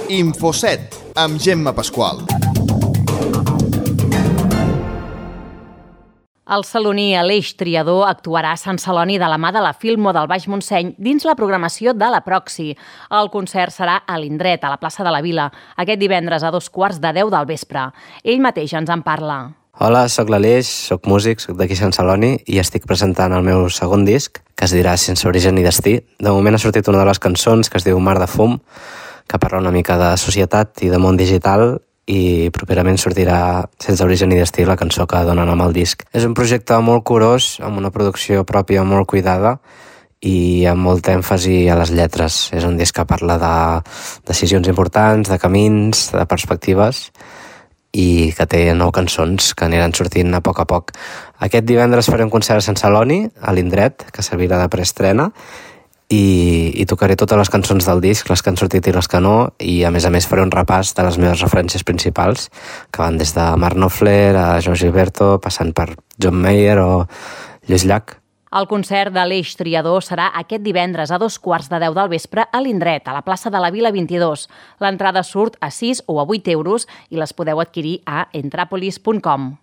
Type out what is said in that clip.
Infoset, amb Gemma Pasqual. El saloní Aleix Triadó actuarà a Sant Celoni de la mà de la Filmo del Baix Montseny dins la programació de la Proxi. El concert serà a l'Indret, a la plaça de la Vila, aquest divendres a 9:15 del vespre. Ell mateix ens en parla. Hola, sóc l'Aleix, sóc músic, sóc d'aquí Sant Celoni i estic presentant el meu segon disc, que es dirà Sense origen ni destí. De moment ha sortit una de les cançons que es diu Mar de fum, que parla una mica de societat i de món digital, i properament sortirà Sense origen ni destí, la cançó que dona nom al disc. És un projecte molt curós, amb una producció pròpia molt cuidada i amb molt èmfasi a les lletres. És un disc que parla de decisions importants, de camins, de perspectives, i que té 9 cançons que aniran sortint a poc. Aquest divendres faré un concert a Sant Celoni, a l'Indret, que servirà de preestrena, i tocaré totes les cançons del disc, les que han sortit i les que no, i a més faré un repàs de les meves referències principals, que van des de Mark Knopfler a Joan Gilberto, passant per John Mayer o Lluís Llach. El concert de l'Aleix Triadó serà aquest divendres a 9:15 del vespre a l'Indret, a la plaça de la Vila 22. L'entrada surt a 6 o a 8 euros i les podeu adquirir a entrapolis.com.